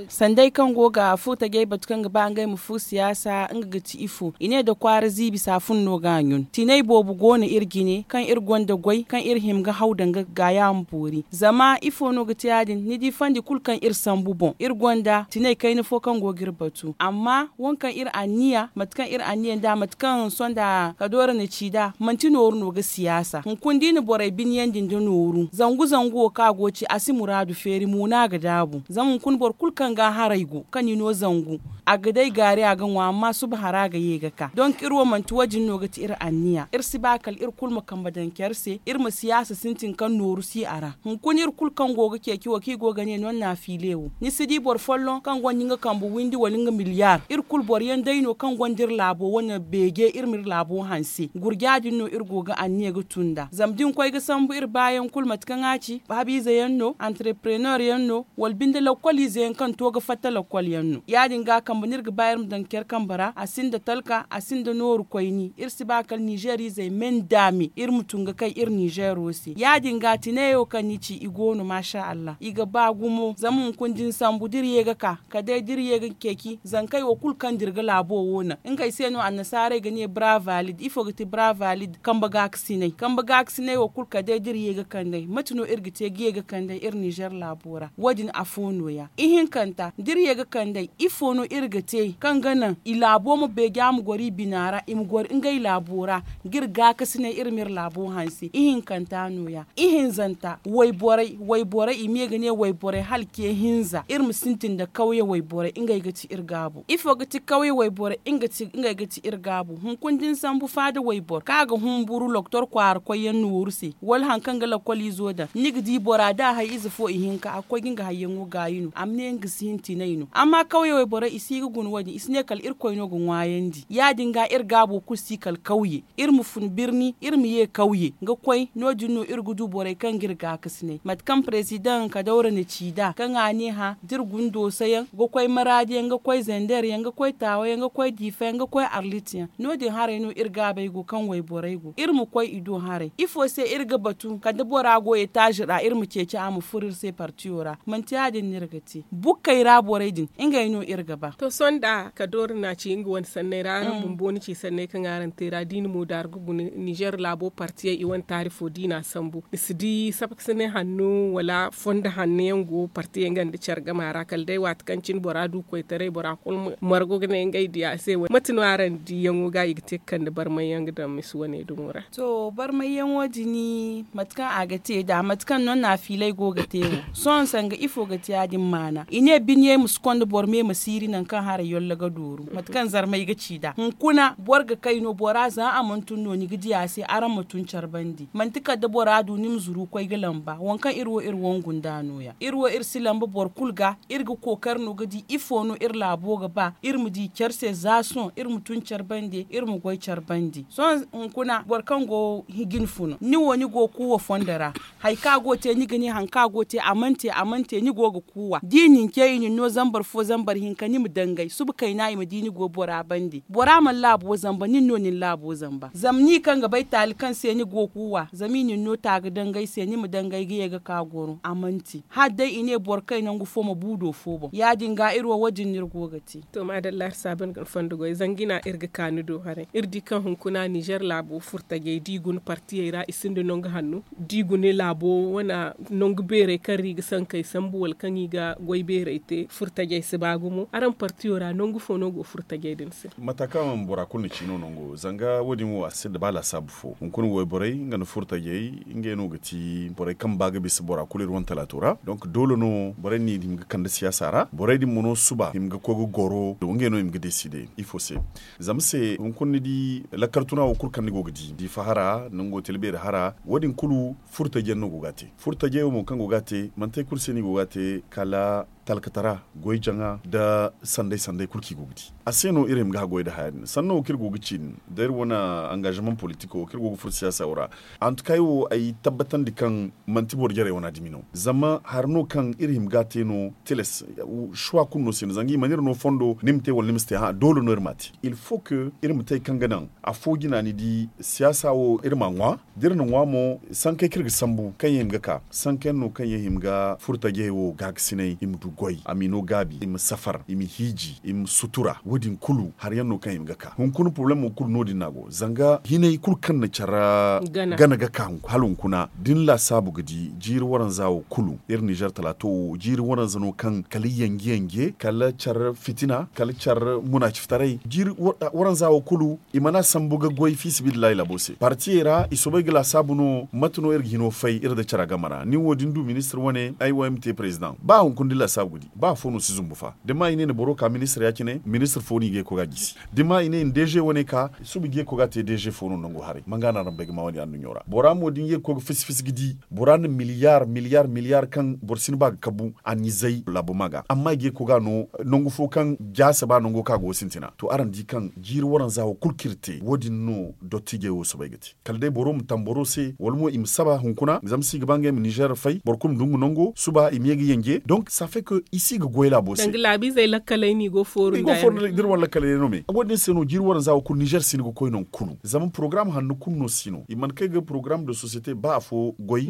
sanday kaŋ go ga furo tajey batu kaŋ ga ba ngey ma furo siyaasa nga ga ti ifo i ne da kwaara ziibi saafun no ga a ɲun tinay boobo go no iri jine kaŋ iri gonda goy kaŋ iri hima ga haw danga ga gaayaamo boori zama ifo no ga ti ya- din ni di fandi kulu kaŋ iri sambu boŋ iri gonda tinay kayna fo kaŋ go ga iri batu amma waŋ kaŋ iri anniya mate kaŋ iri anniya nda mate kaŋ sonda kadoora na ci nd'a manti nooru no ga siyaasa hunkuna da i na borey biniyandi nda nooru zangu zangu wo kaŋ a go ga ci a si muraadu feeri mo no a ga daabu zama hunkuna boro kulu kaŋ ga a haray go kaŋ ni no zangu a ga day gaari a ga ŋwa amma suba hara ga ye ga ka donk iri wo manti wo- din no ga ti iri anniya iri si ba kala iri kulu ma kambe daŋ care se iri ma siyaasa sintin kaŋ nooru si a ra hunkuna iri kulu kaŋ go ga ceeci wo kaŋ i go ga ne no ni na a fiile wo ni si di boro folloŋ kaŋ gonda nga kambe windi wala nga miliyar iri kulu boro yaŋ day no kaŋ gonda iri laabo wane beeje iri ma iri laabo hanse gurja din no iri go ga anniya ga tun nd'a zama da ni koy ga sambu iri baayaŋ kulu mate kaŋ a ci habiize yaŋ no antereperenor yaŋ no wala binde lakkol ize yaŋ kaŋ to ga fatta lakkol yaŋ no ya- din ga kambe no iri ga ba iri ma daŋ care kambe ra a sinda talka a sinda nooru koyni iri si ba kala nizeer izey me nda me iri ma tun ga kay iri nizeero se ya- din ga tineyo kaŋ ni ci i go no maasa allah i ga ba gumo zama hunkuna da ni sambu da iri ye ga ka kala day da iri ye ga ceeci zankey wo kulu kaŋ da iri ga laabo wo naŋ ngey se no annasaarey ga ne bra valid ifo ga ti bra valid kambe gaakasinay kambe gaakasinay wo kulu kala day da iri ye ga kand'ey mate no iri ga te ga ye ga kand'ey iri nizeer laabo ra wo- din afo nooya ihinkanta da iri ye ga kand'ey ifo no iri ga te kaŋ ga naŋ i laabo ma beeja ma goro i bina ra i ma goro ngey laabo ra ga iri gaakasinay iri ma iri laabo hanse ihinkanta nooya ihinzanta Wayborey i ma ye ga ne wayborey hala ce hinza iri ma sintin nda kawye wayborey ngey ga ti iri gaabu. Ifo ga ti kawye wayborey? Ngey ga ti iri gaabu. Hunkuna da ni sambu faada wayboro kaŋ a ga humburu loktor kwaara koyyaŋ nooru se wala hari kaŋ ga lakkol izo daŋ ni ga di bora da a hay ize fo ihinka a ga koy ga nga hayyaŋo gaayi no a ma ne nga ga si hin tinay no. Amma kawye wayborey i si ga guna wo- din i si ne kala irkoy no ga ŋwaayandi ya- din ga iri gaabo kulu si kala kawye. Iri ma fun birni iri ma ye kawye ga koy no- din no iri ga du borey kaŋ ga iri gaakasinay mate kaŋ prezidaŋ kadawra na ci nd'a kaŋ a ne hã da iri guna dooso yaŋ ga koy maraadi yaŋ ga koy zender yaŋ ga koy taawa yaŋ ga koy diifa yaŋ ga koy arlit yaŋ. No- din haray no iri gaabey go kaŋ wayborey go iri ma koy i do haray ifo se iri ga batu kala da bora go etaazi ra iri ma ceeci a ma furo iri se partiyo ra? Manti ya- din no iri ga te. Bukkey ra borey din ngey no iri ga ba. To sohõ da kadoori na ci nga wane sanney ra araŋ bumbo ni ci sanney kaŋ araŋ te ra da i na moodaari ga guna nizer laabo partiyey i wane taari fo da i na a sambu ni si di sapkasinay hanno wala fondo hanno yaŋ go partiyey nga nda care gama ra kala day waati kaŋ cine bora du koytaray bora kulu margo ga ne ngey diya se. Mate no araŋ diyaŋo ga i ga te ga kande barmay yaŋ ga daŋ misi wane dumo ra? To barmay yaŋo din mate kaŋ a ga te nd'a mate kaŋ no naafiilay go ga te wo sohõ sanga ifo ga te ya- din maana i ne biniyey ma si konda boro me ma siiri nangu kaŋ haray yollo ga dooru mate kaŋ zarmay ga ci nd'a hunkuna boro ga kay no bora za a mana tun no ni ga di a se araŋ ma tun care bandi manti kala da bora du ni ma zuru koy ga lamba waŋ kaŋ iri wo iri wangu nd'a no- ya iri wo iri si lamba boro kulu ga iri ga kookari no ga di ifo no iri laabo ga ba iri ma di care se za sohõ iri ma tun care bande iri ma goy care bande sohõ hunkuna boro kaŋ go ga hin ga ni funa ni wo ni go ga kuuwa fondo ra. Hari kaŋ a go ga te ni ga ne hari kaŋ a go ga te a mana te a mana te ni go ga kuuwa da i na ni ce i na ni no zambar fo zambar hinka ni ma dangay suba kayna i ma di ni go bora bande bora mana laabo zamba nin no ni na laabo zamba zama ni kaŋ ga bay taali kaŋ se ni go ga kuuwa zama i na ni no taaga dangay se ni ma dangay ga ye ga ka goro a mana te hala day i ne boro kay nangu fo ma bu do fo boŋ ya- din ga iri wo wo- din no iri go ga te. To maadalla iri saaban ga ni fondo goy zanga i na iri ga ka ni do haray iri di kaŋ hunkuna nizer laabo furtajey da i guna partiyey ra i sinda nangu hanno da i guna laabo wane nangu beerey kaŋ ra i ga sankey sambu wala kaŋ i ga goy beerey te furtajey si ba gumo araŋ partiyo ra nangu fo no go furtajey din se? Mate kaŋ bora kulu na ci no nango zanga wo- din wo a si sinda ba laasaabu fo hunkuna wayborey nga nda furtajey ngey no ga ti borey kaŋ ba ga bisa bora kulu iri wane talaato ra donk doole no borey no i hima ga kande siyaasa ra borey din mo no suba hima ga koy ga goro ngey no i ma ga deside ifo se? Zama se hunkuna ni di lakkal tuna wo kulu kaŋ ni go ga di diifa hara nango tila beeri hara wo- din kulu furo tajey yaŋ no go ga a te furo tajey wo mo kaŋ go ga a te manti hari kulu se no i go ga a te kala talkatara goy jaŋa nda sanday sanday kulu kaŋ i go ga di a se no iri hima ga haggoy nda haya din sanno wo kaŋ iri go ga ci din da iri wane angaazamaŋ politiko kaŋ iri go ga furo siyaasa wo ra. Antuka ay wo ay tabbatandi kaŋ manti boro jarey wana dumi no zama hari no kaŋ iri hima ga a te no tilas. Suwa kulu no se no zanga i mana iri no fondo ni ma te wala ni ma si te hã doole no iri m'a te il faut que iri ma te hari kaŋ ga naŋ afo jina ni di siyaasa wo iri m'a ŋwa da iri na ŋwa mo sankey kaŋ iri ga sambu kaŋ yaŋ hima ga ka sanka yaŋ no kaŋ yaŋ hima ga furo tajey wo gaakasinay i ma du goy a m'i no gaabi i ma safar i ma hiiji i ma sutura wo- din kulu hari yaŋ no kaŋ hima ga ka hunkuna porobalemo kulu no- din no a go zanga hinay kulu kaŋ na care gana ga ka hala hunkuna da ni laasaabu ga di jiiri waranza wo kulu iri nizer talaato wo jiiri waranza no kaŋ kala yanje yanje kala care fitina kala care munaaciftaray jiiri waranza wo kulu i mana sambu ga goy fiisabilillahi laabo se partiyey ra i soobay ga laasaabu no mate no iri ga hino fay iri nda cara game ra nin wo da ni du ministir wane ay wo ay ma te perezidaŋ ba hunkuna da ni laasaabu ga di ba afo no si zumbu fa da ni ma i ne ni boro ka ministir ya- cine ministir fo no i ga ye ga koy ga a gisi da ni ma i ne ni deeze wane ka suba i ga ye ga koy ga a te deeze fo no nango haray manga no araŋ bay ga ma wo- din anduɲɲo ra bora mo da ni ye ga koy ga fisi fisi ga di bora na miliyar miliyar miliyar kaŋ boro si ni ba ga kabu a n'i zay laabo ma ga amma i ga ye ga koy ga a no nangu fo kaŋ jaase ba nango kaŋ a go ga sintina to araŋ di kaŋ jiiri waranza wo kulu kaŋ iri te wo- din no dottijey wo soobay ga te kala day boro ma tamboro se wala mo i ma saba hunkuna zama si ga ba ngey ma nizer fay boro kulu ma du nga nango suba i ma ye ga yanje donk safe kaŋ i si ga goy laabo se. Danga laabiizey lakkaley no i go fooru nda yaŋ da iri wane lakkaley no me wo- din se no jiiri waranza wo kulu nizer si ni ga koy nangu kulu zama porogaram hanno kulu no si no i mana kay ga porogaram de sosiyete ba afo goy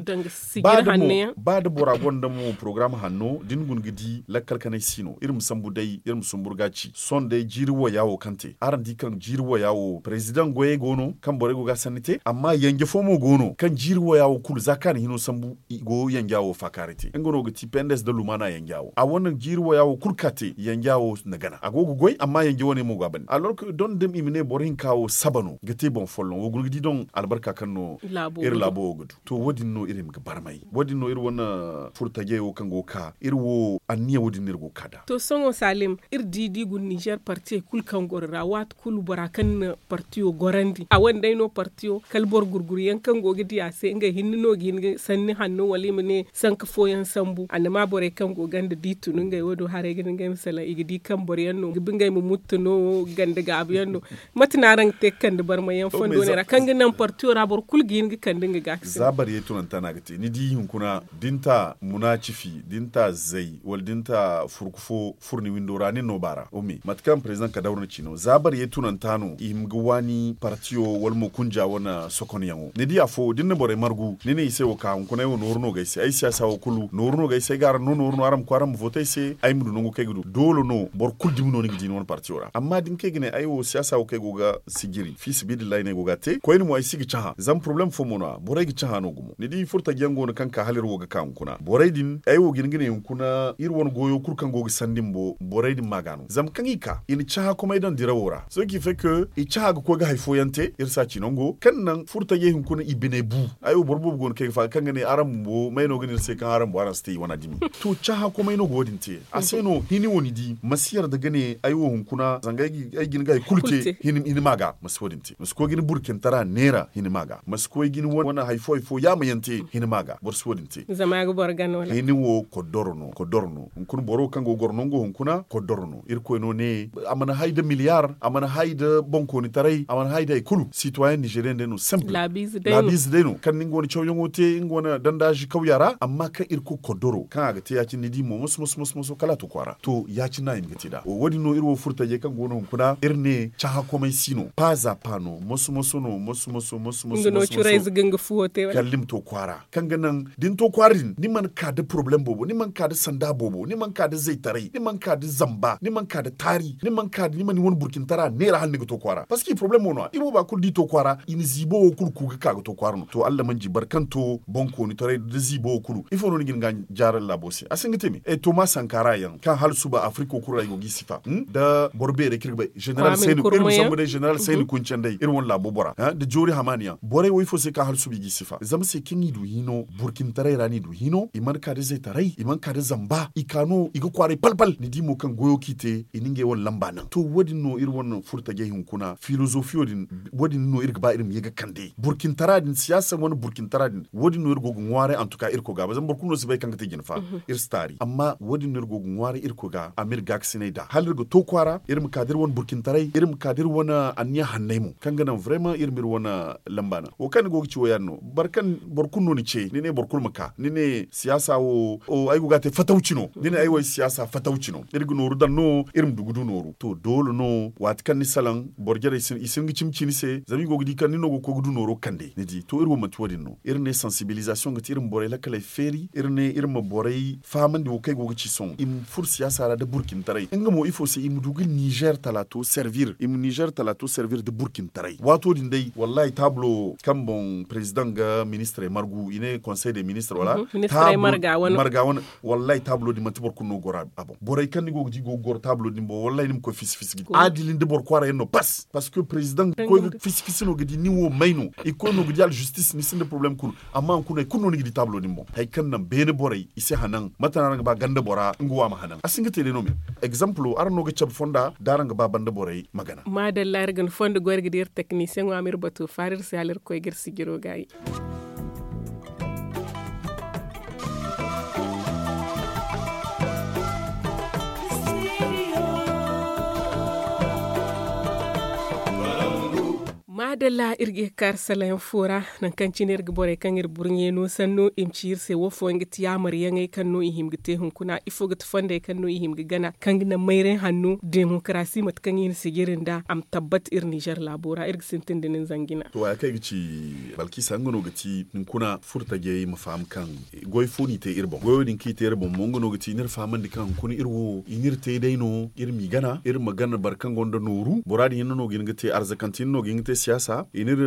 ba da bora gonda mo porogaram hanno da ni guna ga di lakkal kanay si no iri ma sambu day iri ma sumbur ga ci sohõ day jiiri waya wo kaŋ te araŋ di kaŋ jiiri waya wo perezidaŋ goyey go no kaŋ borey go ga a sanni te amma yanje fo mo go no kaŋ jiiri waya wo kulu za kaŋ a na hino sambu i go yanja wo faakaaray te nga no ga ti pendes nda lumaana yanja wo a wane jiiri waya wo kulu ka te yanja wo na gana a go ga goy amma yanja wane mo go a bande alors que don da i ma ne boro hinka wo saba no ga te boŋ folloŋ wo guna ga di don albarka kaŋ no iri laabo wo ga du. To wo- din no iri ma ga barmay wo- din no iri wane furtajey wo kaŋ go ga ka iri wo anniya wo- din no iri go ga ka nd'a. To sohõ salim, iri di da i guna ninzeer partiyey kulu kaŋ goro ra waati kulu bora kaŋ na partiyo gorandi a wane day no partiyo kala boro gurguru yaŋ kaŋ go ga di a se ngey hinne no ga hin ga sanni hanno wala i ma ne sanka fooyaŋ sambu annama borey kaŋ go ganda da i tun ngey wo- din haray ga ne ngey ma salaŋ i ga di kaŋ boro yaŋ no ga bi ngey ma muttu no ganda gaabu yaŋ no. Mate no araŋ ga te ga kande barmay yaŋ fondo ne ra kaŋ ga naŋ partiyo ra boro kulu ga hin ga kande nga ga a ga sinda. Za bariyey tunanta no a ga te ni di hunkuna da ni ta munacifi da ni ta zay wala da ni ta furku fo furni windo ra nin no baara ome mate kaŋ president kadawra na ci no za bariyey tunanta no i hima ga waani partiyo wala mo kunja wane sokonyaŋo ni di afo da ni na borey margu ni ne i se wo ka hunkuna ay wo nooru no ga ay se ay siyaasa wo kulu nooru no ga ay se ay ga araŋ no nooru no araŋ ma koy araŋ ma vote ay se ay ma du nangu kaŋ ay ga du doole no boro kulu dumi no ni ga di ni wane partiyo ra amma da ni kaŋ ay ga ne ay wo siyaasa wo kaŋ ay go ga sijiri fi sabilillahi no ay go ga a te koyne mo ay si ga cahã zama poroblem fo mo no- ya borey ga cahã no gumo ni di furtajiyaŋ go no kaŋ ka hala iri wo ga ka hunkuna borey din ay wo ga hin ga ne hunkuna iri wane goyo kulu kaŋ go ga sandi bumbo borey din ma ga no zama kaŋ i ka i na cahã komey daŋ dirawo ra sohõ ki fay ke i cahã ga koy ga hari fooyaŋ te iri si a ci nango kaŋ naŋ furtajey hunkuna i biney bu. Ay wo boro boobo go no kaŋ ay ga faga kaŋ ga ne araŋ bumbo may no ga ne iri se kaŋ araŋ bumbo araŋ si te i wana dumi. To cahã komey no ga wo- din te a se no hini wo ni di ma si yarda ga ne ay wo hunkuna zanga ay ga hin ga hari kulu te hini ma ga ma si wo- din te ma si koy ga ni burkintara neera hini ma ga ma si koy ga ni wane hari fo hari fo yaamayaŋ te hini ma ga boro si wo- din te. Hini wo koddoro no koddoro no hunkuna boro kaŋ go ga goro nango hunkuna koddoro no irkoy no ne a mana hay nda miliyar a mana hay nda boŋkoonitaray a mana hay nda hari kulu sitwayen nizeriyen day no simple laabiize day no kaŋ ni nga wane cawyaŋo te nga wane dandaazi kawya ra amma kaŋ irkoy koddoro kaŋ a ga te ya- cine ni di mo moso moso moso moso kala a to kwaara to ya- cine no a hima ga te nd'a wo- din no iri wo furtajey kaŋ go no hunkuna iri ne cahã komey si no paaza pa no moso moso no moso moso moso moso kala ni ma to kwaara kaŋ ga naŋ da ni to kwaara din ni mana ka nda porobalem boobo ni mana ka nda sanda boobo ni mana ka nda zaytaray ni mana ka nda zamba ni mana ka nda taari ni mana ka nda ni mana ni wane burcintara neera hala ni ga to kwaara parceque porobalem mo no- ya i booba kulu da i to kwaara i na ziibo wo kulu ku ga ka ga to kwaara no to allah manji boro kaŋ to boŋkoonitaray nda ziibo wo kulu ifo no ni ga hin ga a jaara laabo se a si hin ga te me toma sankara yaŋ kaŋ hala suba afiriko kulu ra i go ga i sifa nda boro beerey kaŋ iri ga bay zeneral sayni kuncanday iri wane laabo bora nda joori hamaani yaŋ borey wo ifo se kaŋ hala suba i ga i sifa zama se kaŋ i du hino burcintaray ra no i du hino i mana ka nda zaytaray i mana ka nda zamba i ka no i ga kwaaray pal pal ni di mo kaŋ goyo kaŋ i te i na ngey wane lamba naŋ to wo- din no iri wane furtajey hunkuna filozofiyo din wo- din no iri ga ba iri ma ye ga kande burcintara din siyaasa wane burcintara din wo- din no iri go ga ŋwaaray antuka irkoy ga ba zama boro kulu no si bay kaŋ ga te jine fa iri si taari amma wo- din no iri go ga ŋwaaray irkoy ga a ma iri gaakasinay nd'a hala iri ga to kwaara iri ma ka da iri wane burcintaray iri ma ka da iri wane anniya hanney mo kaŋ ga naŋ vraymaŋ iri ma iri wane lamba naŋ wo kaŋ ni go ga ci wo ya- din no boro kaŋ boro kulu no ni ce ni ne boro kulu ma ka ni ne siyaasa wo ay go ga a te fatawci no ni ne ay wo ay siyaasa fatawci no iri ga nooru daŋ no iri ma du ga du nooru to doole no waati kaŋ ni salaŋ boro jarey i si hin ga cimi ci ni se zama i go ga di kaŋ ni no ga koy ga du nooro kande ni di to iri wo manti wo- din no iri ne sansibilizasiyoŋ ga ti iri ma borey lakkaley feeri iri ne iri ma borey fahamandi wo kaŋ ay go ga ci sohõ i ma furo siyaasa ra nda burcintaray nga mo ifo se i ma du ga nizer talaato servir i ma nizer talaato servir nda burcintaray waato din day wallahi taabulo kaŋ boŋ prezidaŋ ga ministirey margu i ne konsey de ministir wala marga wane wallahi taabulo din manti boro kulu no ga goro a boŋ borey kaŋ ni go ga di go ga goro taabulo din boŋ wallahi ni ma koy fisi fisi ga di aadili nda boro kwaara yaŋ no pas parceque prezidaŋ ga koy ga fisi fisi no ga di nin wo may no i ga koy no ga di aljustis ni sinda porobalem kulu amma hunkuna hari kulu no ni ga di taabulo din boŋ hari kaŋ naŋ beene borey i si hanaŋ mate no araŋ ga ba ganda bora nga wo a ma hanaŋ a si hin ga te day no me egzampulo araŋ no ga cabe fonda da araŋ ga ba banda borey ma gana maadalla iri ga ni fondo goy iri ga di iri teknisiyeŋo a ma iri bato faara iri se hala iri koy ga iri sijiro gaayi maadalla iri ga ye ga kaari salayaŋ fo ra nangu kaŋ cine iri ga borey kaŋ iri burɲey no sanno i ma ci iri se wo fooyaŋ ga ti yaamaryaŋey kaŋ no i hima ga te hunkuna ifo ga ti fondey kaŋ no i hima ga gana kaŋ ga naŋ mayray hanno demokarasi mate kaŋ i na sijiri nd'a a ma tabbat iri nizer laabo ra iri ga sintin da nin zangu jina to haya kaŋ ay ga ci balkisa nga no ga ti hunkuna furtajey ma faham kaŋ goy fo no i te iri boŋ goyo din kaŋ i te iri boŋ mo nga no ga ti ni iri fahamandi kaŋ hunkuna iri wo i n'iri te day no iri m'i gana iri ma gana boro kaŋ gonda nooru bora din yaŋ no no ga hin ga te arzakante yaŋ no ga hin ga te siyaasa ta i n'iri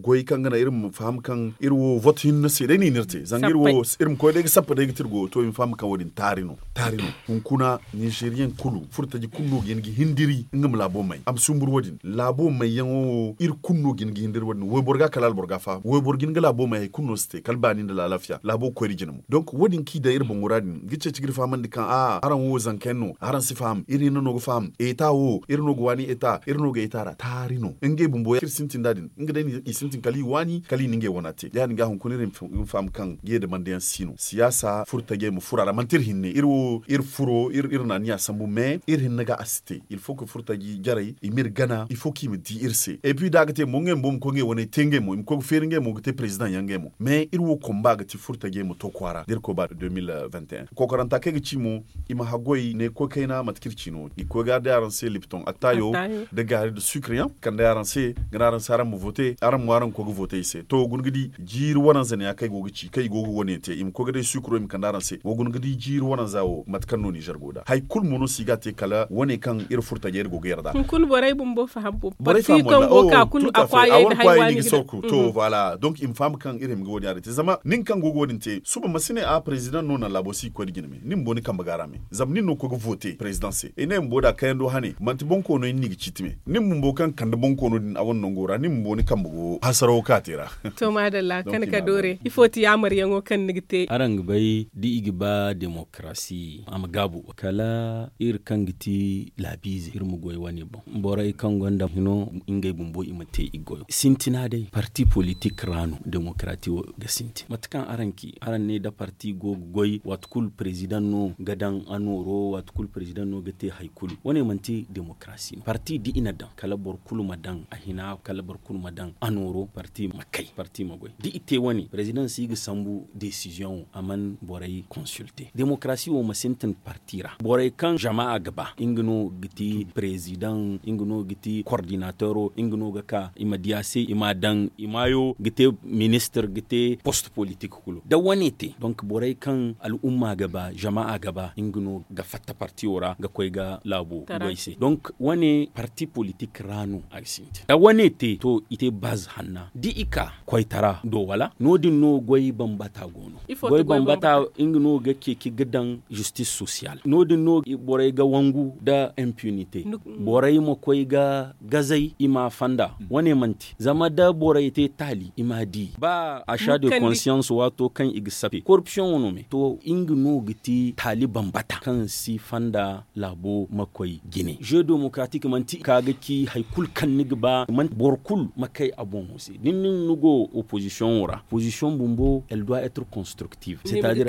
goy kaŋ ga naŋ iri ma faham kaŋ iri wo vote hinne se day no i n'iri te zanga iri ma koy day ga sappa day ga te iri goyo to i ma faham kaŋ wo- din taari no. Taari no. Hunkuna ninzeeriyaŋ kulu furtaji kulu no ga hin ga hindiri nga ma laabo may a ma sumbur wo- din laabo mayyaŋo wo iri kulu no ga hin ga hindiri wo- din wayboro ga kala alboro ga faham wayboro ga hin ga laabo may hari kulu no si te kala baani nda laalafiya laabo ga koy nda jina mo donk wo- din kaŋ i daŋ iri boŋo ra din ga ceeci ga iri fahamandi kaŋ a araŋ wo zanka yaŋ no araŋ si faham iri hinne no ga faham eta wo iri no ga waani eta iri no ga eta ra taari no ngey bumbo ya- iri sintin nd'a din nga day no i sintin kala i waani kala i na ngey wana te ya- din ga hunkuna iri ma faham kaŋ ga ye da banda yaŋ si no siyaasa furo tajey ma furo a ra manti iri hinne iri wo iri furo iri naaniya sambu mais iri hinne ga a si te il faut que furo taji jarey i m'iri gana il faut que i ma di iri se et puis da a ga te mo ngey bumbo ma koy ngey waney te ngey mo i ma koy ga feeri ngey mo ga te président yaŋ ngey mo mais iri wo komba ga ti furo tajey ma to kwaara da iri koy ba deux mille vingt et un kokoranta kaŋ ay ga ci mo i ma haggoy ne koy kayna mate kaŋ iri ci no i koy ga day araŋ se lipton attaayo da gaari nda sucre yaŋ kande araŋ se ga ne araŋ se araŋ ma vote araŋ mo araŋ ga koy ga vote i se to wa guna ga di jiiri wananza ne ya kaŋ ay go ga ci kaŋ i go ga wane te i ma koy ga day sucro i ma kande araŋ se wa guna ga di jiiri wananza wo mate kaŋ no nizer go nd'a hari kulu mo no si ga a te kala wane kaŋ iri furo tajey iri go ga yarda hunkuna borey bumbo faham bo borey faham walla o tout à fait a wane kwaayey no i ga sorku to voilà donc i ma faham kaŋ iri hima ga wo- din ya din te zama nin kaŋ go ga wo- din te suba ma si ne a président no naŋ laabo si ga koy nda jina me nin bumbo ni kambe ga a ra me zama nin no ga koy ga vote président se ay ne bumbo da kayando hane manti boŋ koono yaŋ no i ga ciiti me nin bumbo kaŋ kande boŋ koono din a wane nango ra nin bumbo ni kambe go hasarawo kaŋ a te ra to maadalla kande ka doore ifo ti yaamaryaŋo kaŋ ni ga te araŋ ga bay da i ga ba demokarasi a ma gaabu kala iri kaŋ ga ti laabiize iri ma goy wane boŋ borey kaŋ gonda hino ngey bumbo i ma te i goyo sintina day parti politik ra no demokarati wo ga sintin mate kaŋ araŋ ci araŋ ne da parti go ga goy waati kulu président no ga daŋ a nooro waati kulu président no ga te hari kulu wane manti demokarasi no parti da i na daŋ kala boro kulu ma daŋ a hina kala boro kulu ma daŋ a nooro parti ma kay parti ma goy da i te wane président si ga sambu décision wo a man borey consulter demokarasi wo ma sintin parti ra borey kaŋ jama a ga ba nga no ga ti président nga no ga ti coordinateur nga no ga ka i ma di a se i ma a daŋ i maayo ga te ministre ga te poste politik kulu da wane te donc borey kaŋ al'umma ga ba jama a ga ba nga no ga fatta parti wo ra ga koy ga laabo goy se donc wane parti politik ra no a ga sintin da wane te to i te baz hanna da i ka koytara do wala no- din no goy bambata go no goy bambata nga no ga ceeci ga daŋ justice sociale no- din no borey ga wangu nda impunité borey ma koy ga gazey i ma a fanda wane manti zama da borey te taali i ma a di ba achat de conscience waato kaŋ i ga sape corruption wano me to nga no ga ti taali bambata kaŋ si fanda laabo ma koy jine jeu démocratique manti ka ga ci hari kulu kaŋ ni ga ba manti boro kulu ma kay a boŋo se da ni no ni go opposition wo ra opposition bumbo elle doit être constructive c'est à dire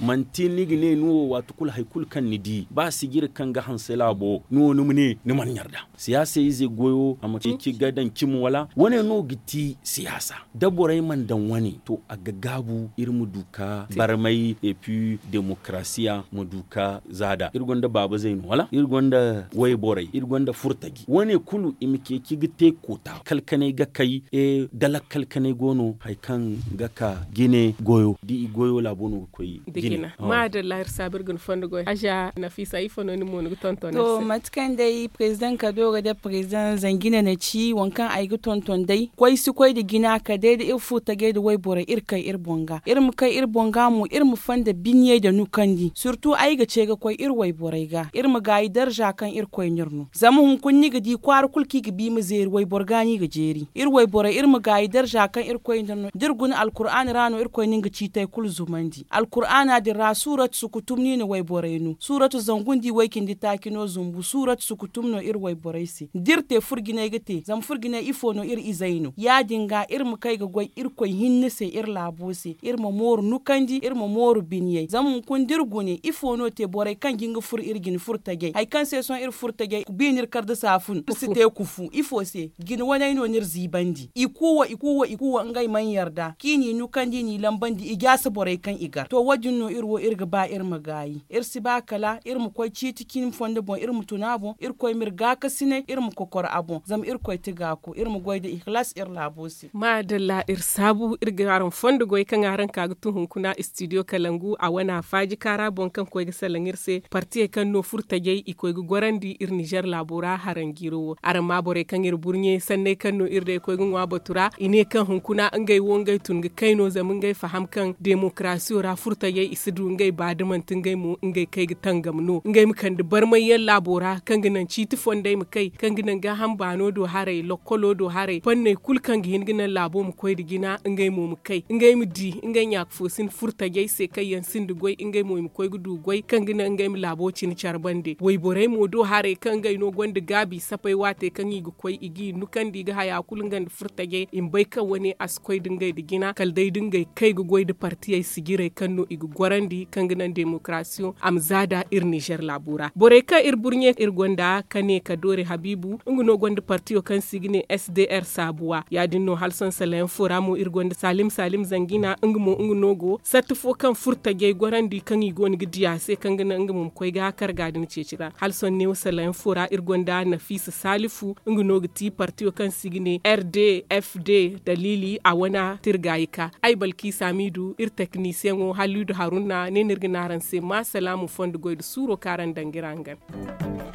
manti ni ga ne ni wo waati kulu hari kulu kaŋ ni di ba sijiri kaŋ ga hanse laabo ni wo ni ma ne ni mana ɲarda siyaasa ize goyo a ma ceeci ga daŋ cimi wala wane no ga ti siyaasa da borey mana daŋ wane to a ga gaabu iri ma du ka barmay et puis demokarasiya ma du ka zaada iri gonda baaba zayno wala iri gonda wayborey iri gonda furtaji wane kulu i ma ceeci ga te koota kalkanay ga kay da lakkal kanay go no hari kaŋ ga ka jine goyo da i goyo laabo no ga koy jine maadalla iri saabu iri ga ni fondo goy aza nafisa ifo no ni mo ni ga tonton to mate kaŋ day président kado ga da président zangina na ci waŋ kaŋ ay ga tonton day koy si koy nda jina kala day da iri furtajey nda wayborey iri kay iri boŋ ga iri ma kay iri boŋ ga mo iri ma fonda binyey nda nukandi surtout ay ga ce ga koy iri wayborey ga iri ma gaayi darza kaŋ irkoy n'iri no zama hunkuna ni ga di kwaara kulu kaŋ i ga ba i ma zeeri wayboro ga no i ga jeeri iri wayborey iri ma gaayi darza kaŋ irkoy n'iri no da iri guna alkur'aana ra no irkoy na nga ciitey kulu zumandi alkur'aana din ra suuratu sukutum no i na wayborey no suuratu zangu nda i way-cindi taaci no zumbu suuratu sukutum no iri wayborey se da iri te furjinay ga te zama furjinay ifo no iri izey no ya-din ga iri ma kay ga goy irkoy hinne se iri laabo se iri ma mooru nukandi iri ma mooru binyey zama hunkuna da iri gune ifo no te borey kaŋ ga hin ga furo iri jine furo tajey hari kaŋ se sohõ iri furo tajey bi no iri kar da saafun iri si te kufu ifo se jine waney no no iri ziibandi i kuuwa i kuuwa i kuuwa ngey mana yarda kaŋ i n'i nukandi i n'i lambandi i jaasa borey kaŋ i gar to wo-din no iri wo iri ga ba iri ma gaayi iri si ba kala iri ma koy ciiti cine fondo boŋ iri ma tun a boŋ irkoy ma iri gaakasinay iri ma kokor a boŋ zama irkoy ti gaako iri ma goy nda ihilas iri laabo se maadalla iri saabu iri ga araŋ fondo goy kaŋ araŋ ka ga tun hunkuna studio kalangu a wana faaji kaara boŋ kaŋ koy ga salaŋ iri se partiyey kaŋ no furtajey i koy ga gorandi iri nizer laabo ra haranjiiro wo Araŋ ma borey kaŋ iri burɲe sanney kaŋ no iri day koy ga ŋwa batu ra i ne kaŋ hunkuna ngey wo ngey tun ga kay no zama ngey faham kaŋ demokarasiyo ra furtajey i si du ngey ba da manti ngey mo ngey kay ga tangam no ngey ma kande barmay yaŋ laabo ra kaŋ ga naŋ ciiti fondey ma kay kaŋ ga naŋ gaaham baano do haray lokkolo do haray fanney kulu kaŋ ga hin ga naŋ laabo ma koy nda jina ngey mo ma kay ngey ma di ngey ɲaaka fo sin furtajey se kaŋ yaŋ sinda goy ngey mo i ma koy ga du goy kaŋ ga naŋ ngey ma laabo cine care bande wayborey mo do haray kaŋ ngey no gonda gaabi sapay waatey kaŋ i ga koy i g'i nukandi i ga haya kulu nga nda furtajey i ma bay kaŋ wane a si koy da ngey nda jina kala day da ngey kay ga goy nda partiyey sijirey kaŋ no i ga gorandi kaŋ ga naŋ demokarasiyo a ma za nd'a iri nizer laabo ra borey kaŋ iri burɲe iri gonda ka ne ka doori habiibu nga no gonda partiyo kaŋ se i ga ne s d r saabuwa ya- din no hala sohõ salayaŋ fo ra mo iri gonda saalim saalim zangina nga mo nga no go satta fo kaŋ furtajey gorandi kaŋ i go no ga di a se kaŋ ga naŋ nga mo ma koy ga karga din ceeci ra hala sohõ neewo salayaŋ fo ra iri gonda nafiisa saalifu nga no ga ti partiyo kaŋ se i ga ne r d f d daliili a wane tirgaayi ka ay balkiisa miidu iri teknisiyaŋo haliidu haruna ne no iri ga ne araŋ se ma salaamu fondo goy nda suuro kaŋ araŋ daŋ ga iri hangan